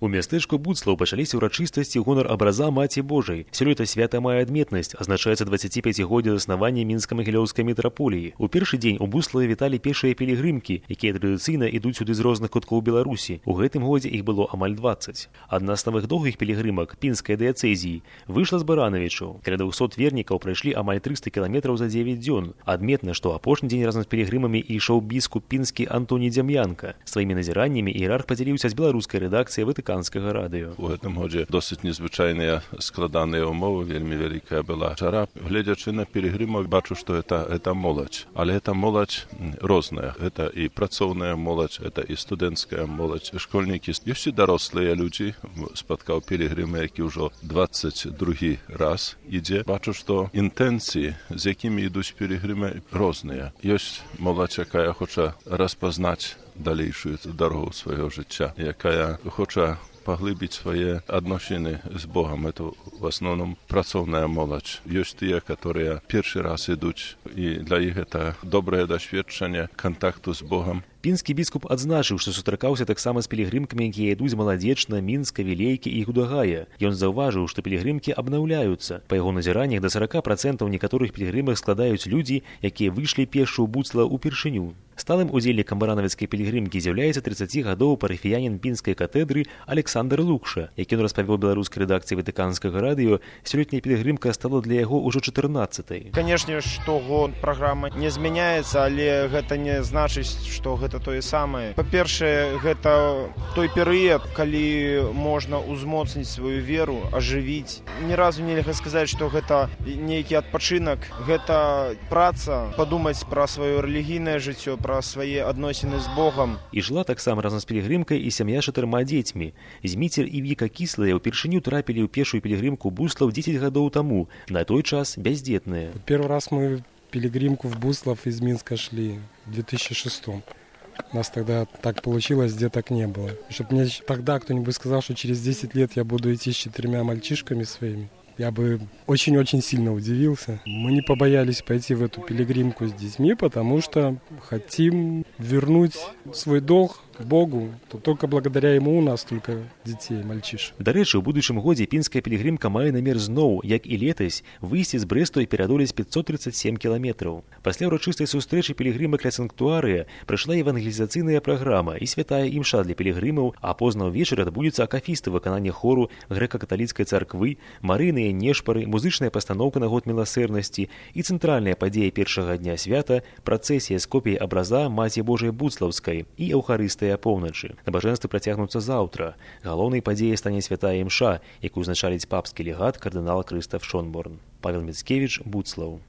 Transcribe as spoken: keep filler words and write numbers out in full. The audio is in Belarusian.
У мястэчку Буцлаў пачаліся ўрачыстасці ў гонар абраза Маці Божай. Сёлета свята мае адметнасць, адзначаецца дваццаціпяцігоддзе заснавання мінска-магілёўскай мітраполіі. У першы дзень у Буцлаве віталі пешыя пілігрымкі, якія традыцыйна ідуць сюды з розных куткоў Беларусі. У гэтым годзе іх было амаль дваццаць. Адна з самых доўгіх пілігрымак пінскай дыяцэзіі выйшла з Баранавічаў. Каля двухсот вернікаў прайшлі амаль трыста кіламетраў за дзевяць дзён. Адметна, што апошні дзень разам з пілігрымамі ішоў біскуп пінскі Антоній Дзям'янка. Сваімі назіраннямі іерарх падзяліўся з беларускай рэдакцыяй Ватыканскага радыё. У гэтым годзе досыць незвычайныя складаныя ўмовы, вельмі вялікая была жара. Гледзячы на пілігрымаў, бачу, што это, это моладзь. Але это моладзь розная. Это і працоўная моладзь, это і студэнцкая моладзь, школьнікі. Ёсць і дарослыя людзі. Спаткаў пілігрыма, які ўжо дваццаць другі раз ідзе. Бачу, што інтэнцыі, з якімі ідуць пілігрымы, розныя. Ёсць моладзь, якая хоча распазнаць далейшую дарогу свайго жыцця, якая хоча паглыбіць свае адносіны з Богам. Это в асноўным працоўная моладзь. Ёсць тыя, которые першы раз ідуць, і для іх это добрае дасведчанне кантакту з Богам. Пінскі біскуп адзначыў, што сустракаўся таксама з пілігрымкамі, якія ідуць з Маладзечна, Мінска, Вілейкі і Гудагая. Ён заўважыў, што пілігрымкі абнаўляюцца. Па яго назіраннях да сарака працэнтаў некаторых пілігрымак складаюць людзі, якія выйшлі пешшу ў Буцлаў упершыню. Сталым удзельнікам баранавіцкай пілігрымкі з'яўляецца трыццаці гадоў парафіянін пінскай катэдры Александр Лукша. Як ён распавёў беларускай рэдакцыі Ватыканскага радыё, сёлетняя пілігрымка стала для яго ўжо чатырнаццатай. Канешне, штогод праграма не змяняецца, але гэта не значыць, што гэта тое самае. Па-першае, гэта той перыяд, калі можна ўзмоцніць сваю веру, ажывіць. Ні разу нельга сказаць, што гэта нейкі адпачынак, гэта праца, падумаць пра сваё рэлігійнае жыццё, пра свае адносіны з Богам. І жыла таксама разам з пілігрымкай і сям'я з чатырма дзецьмі. Зміцер і Віка Кіслыя ўпершыню трапілі ў першую пілігрымку Буцлаў дзесяць гадоў таму, на той час бяздзетныя. Первый раз мы пилигримку в Буцлав из Минска шли в две тысячи шестом. У нас тогда так получилось, где так не было. Чтобы мне тогда кто-нибудь сказал, что через десять лет я буду идти с четырьмя мальчишками своими, я бы очень-очень сильно удивился. Мы не побоялись пойти в эту пилигримку с детьми, потому что хотим вернуть свой долг Богу, то только благодаря ему у нас только детей, мальчишек. Дарэчы, у будучым годзе пінская пілігрымка мае намер зноў, як і летась, выйсці з Брэсту і пераадолець пятьсот тридцать семь кіламетраў. Пасля ўрачыстай сустрэчы пілігрымак ля санктуарыя прыйшла евангелізацыйная праграма і святая імша для пілігрымаў, а позна ўвечары адбудзецца акафісты выканання хору грэка-каталіцкай царквы, марыйныя нешпары, музычная пастаноўка на год міласэрнасці і цэнтральная падзея першага дня свята працэсія з копіяй абраза Маці Божай Буцлаўскай і эўхарыстыя апоўначы. Набажэнствы працягнуцца заўтра. Галоўнай падзеяй стане святая імша, якую узначаліць папскі легат кардынал Крыстаф Шонборн. Павел Міцкевіч, Буцлаў.